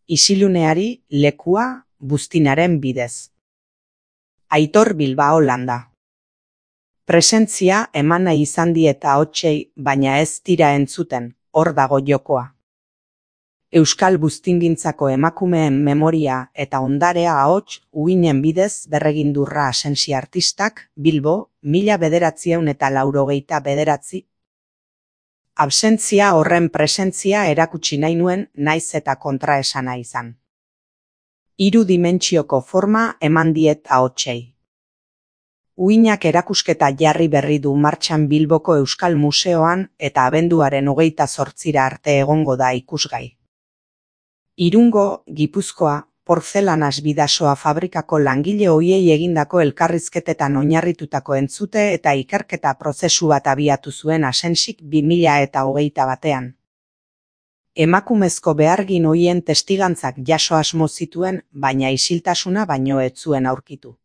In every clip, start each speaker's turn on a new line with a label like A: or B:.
A: isiluneari lekua buztinaren bidez. Aitor Bilbao landa. Presentzia eman nahi izan diet ahotsei, baina ez dira entzuten, hor dago jokoa. Euskal buztingintzako emakumeen memoria eta ondarea ahots uinen bidez berregindurra Asensi artistak, Bilbo, 1989. Absentzia horren presentzia erakutsi nahi nuen, naiz eta kontraesana izan. 3 dimentsioko forma eman diet ahotsei. Uinak erakusketa jarri berri du martxan Bilboko Euskal Museoan eta abenduaren 28 arte egongo da ikusgai. Irungo, Gipuzkoa, portzelanaz Bidasoa fabrikako langile ohiei egindako elkarrizketetan oinarritutako entzute eta ikerketa prozesu bat abiatu zuen Asensik 2021. Emakumezko behargin ohien testigantzak jaso asmo zituen, baina isiltasuna baino ez zuen aurkitu.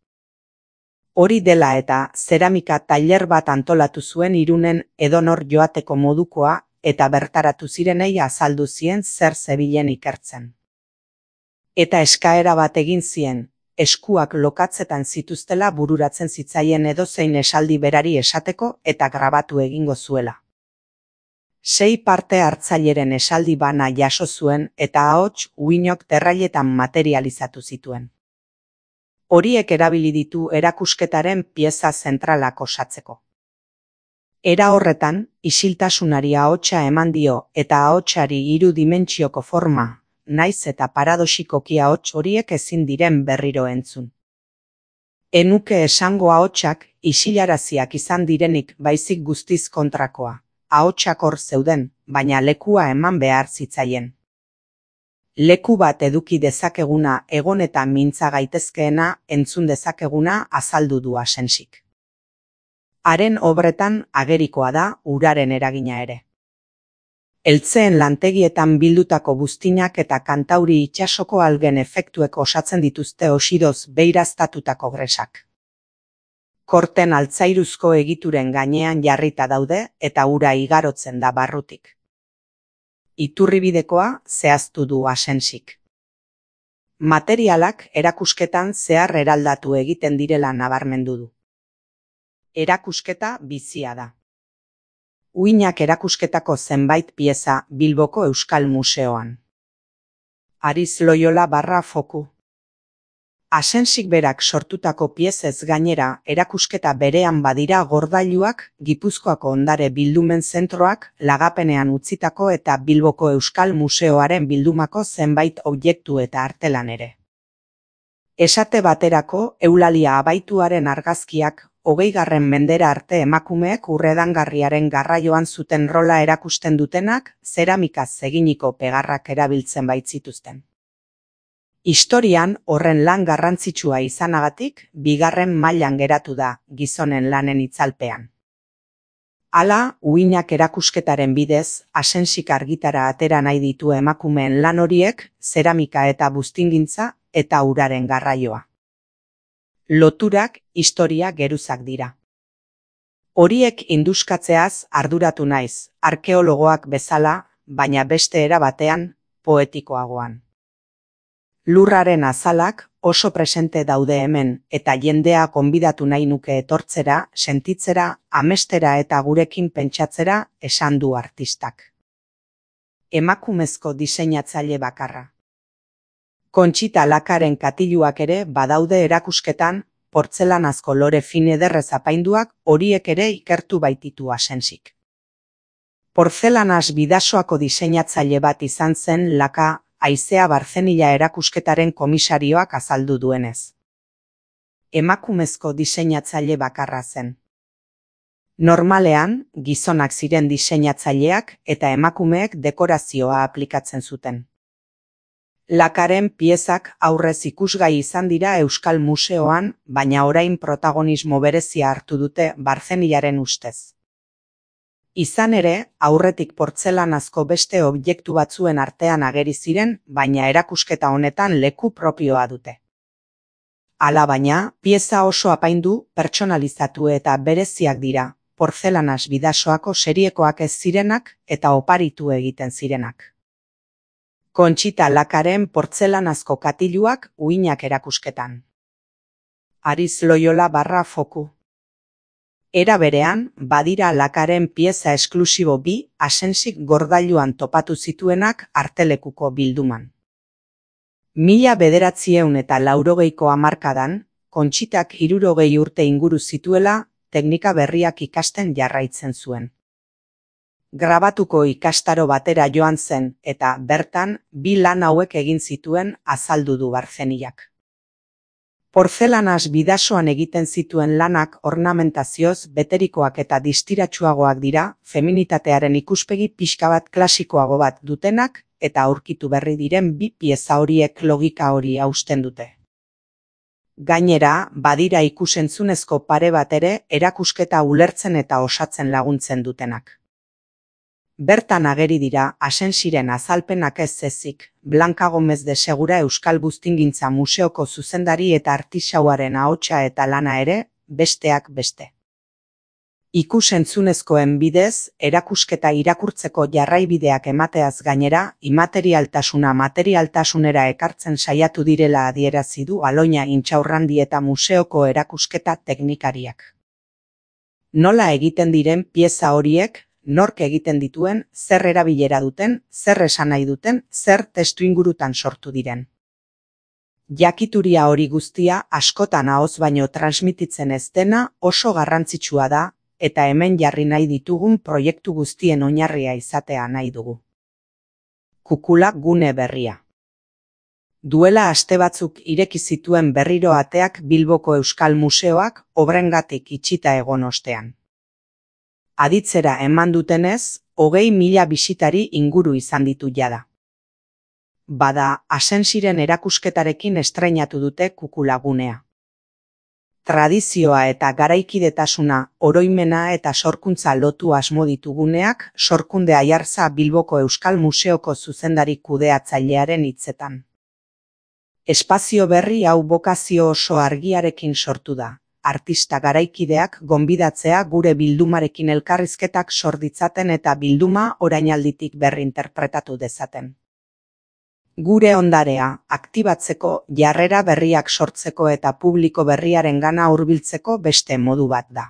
A: Hori dela eta zeramika tailer bat antolatu zuen Irunen edonor joateko modukoa eta bertaratu zirenei azaldu zien zer zebilen ikertzen. Eta eskaera bat egin zien, eskuak lokatzetan zituztela bururatzen zitzaien edozein esaldi berari esateko eta grabatu egingo zuela. 6 parte hartzaileren esaldi bana jaso zuen eta ahots uinok terrailetan materializatu zituen. Horiek erabili ditu erakusketaren pieza zentralak osatzeko. Era horretan, isiltasunari ahotsa eman dio eta ahotsari 3 dimentsioko forma, naiz eta paradoxikoki ahots horiek ezin diren berriro entzun. Enuke esango ahotsak isilaraziak izan direnik baizik guztiz kontrakoa. Ahotsak hor zeuden, baina lekua eman behar zitzaien. Leku bat eduki dezakeguna egon eta mintza gaitezkeena entzun dezakeguna azaldu du Asensik. Haren obretan agerikoa da uraren eragina ere. Eltzeen lantegietan bildutako buztinak eta Kantauri itsasoko algen efektuek osatzen dituzte osidoz beiraztatutako gresak. Korten altzairuzko egituren gainean jarrita daude eta ura igarotzen da barrutik. Iturribidekoa zehaztu du Asensik. Materialak erakusketan zehar eraldatu egiten direla nabarmendu du. Erakusketa bizia da. Uinak erakusketako zenbait pieza Bilboko Euskal Museoan. Ariz Loyola /Foku. Asensik berak sortutako piezez gainera erakusketa berean badira gordailuak, Gipuzkoako ondare bildumen zentroak, lagapenean utzitako eta Bilboko Euskal Museoaren bildumako zenbait objektu eta artelan ere. Esate baterako, eulalia abaituaren argazkiak 20. mendera arte emakumeek urredangarriaren garraioan zuten rola erakusten dutenak, zeramikaz eginiko pegarrak erabiltzen baitzituzten. Historian horren lan garrantzitsua izanagatik, 2. mailan geratu da gizonen lanen itzalpean. Hala, uinak erakusketaren bidez, Asensik argitara atera nahi ditu emakumeen lan horiek, zeramika eta buztingintza eta uraren garraioa. Loturak historia geruzak dira. Horiek induskatzeaz arduratu naiz, arkeologoak bezala, baina beste era batean, poetikoagoan. Lurraren azalak oso presente daude hemen eta jendea gonbidatu nahi nuke etortzera, sentitzera, amestera eta gurekin pentsatzera esan du artistak. Emakumezko diseinatzaile bakarra. Kontxita Lakaren katiluak ere badaude erakusketan, portzelanazko lore fin ederrez apainduak horiek ere ikertu baititu Asensik. Portzelanaz Bidasoako diseinatzaile bat izan zen Laka, Haizea Barzenila erakusketaren komisarioak azaldu duenez. Emakumezko diseinatzaile bakarra zen. Normalean, gizonak ziren diseinatzaileak eta emakumeek dekorazioa aplikatzen zuten. Lakaren piezak aurrez ikusgai izan dira Euskal Museoan, baina orain protagonismo berezia hartu dute Barzenilaren ustez. Izan ere, aurretik portzelanazko beste objektu batzuen artean ageri ziren, baina erakusketa honetan leku propioa dute. Hala baina, pieza oso apaindu, pertsonalizatu eta bereziak dira, portzelanaz Bidasoako seriekoak ez zirenak eta oparitu egiten zirenak. Kontxita Lakaren portzelanazko katiluak uhinak erakusketan. Ariz Loyola / Foku. Era berean, badira Lakaren pieza esklusibo bi Asensik gordailuan topatu zituenak artelekuko bilduman. 1980ko hamarkadan, Kontxitak 60 urte inguru zituela, teknika berriak ikasten jarraitzen zuen. Grabatuko ikastaro batera joan zen eta bertan bi lan hauek egin zituen azaldu du Barzeniak. Porzelanaz bidasoan egiten zituen lanak ornamentazioz beterikoak eta distiratsuagoak dira, feminitatearen ikuspegi pixka bat klasikoago bat dutenak eta aurkitu berri diren bi pieza horiek logika hori hausten dute. Gainera, badira ikusentzunezko pare bat ere erakusketa ulertzen eta osatzen laguntzen dutenak. Bertan ageri dira Asensiren azalpenak ez ezik, Blanca Gómez de Segura Euskal Buztingintza Museoko zuzendari eta artisauaren ahotsa eta lana ere, besteak beste. Ikusentzunezkoen bidez, erakusketa irakurtzeko jarraibideak emateaz gainera, imaterialtasuna materialtasunera ekartzen saiatu direla adierazi du Aloina Intxaurrandi eta museoko erakusketa teknikariak. Nola egiten diren pieza horiek, nork egiten dituen, zer erabilera duten, zer esan nahi duten, zer testuingurutan sortu diren. Jakituria hori guztia askotan ahoz baino transmititzen ez dena oso garrantzitsua da, eta hemen jarri nahi ditugun proiektu guztien oinarria izatea nahi dugu. Kukula gune berria. Duela aste batzuk ireki zituen berriro ateak Bilboko Euskal Museoak obrengatik itxita egon ostean. Aditzera eman dutenez, 20.000 bisitari inguru izan ditu jada. Bada, Asensiren erakusketarekin estreinatu dute kukulagunea. Tradizioa eta garaikidetasuna, oroimena eta sorkuntza lotu asmo dituguneak, Sorkunde Aiartza Bilboko Euskal Museoko zuzendari kudeatzailearen hitzetan. Espazio berri hau bokazio oso argiarekin sortu da. Artista garaikideak gonbidatzea gure bildumarekin elkarrizketak sor ditzaten eta bilduma orainalditik berrinterpretatu dezaten. Gure ondarea aktibatzeko, jarrera berriak sortzeko eta publiko berriarengana hurbiltzeko beste modu bat da.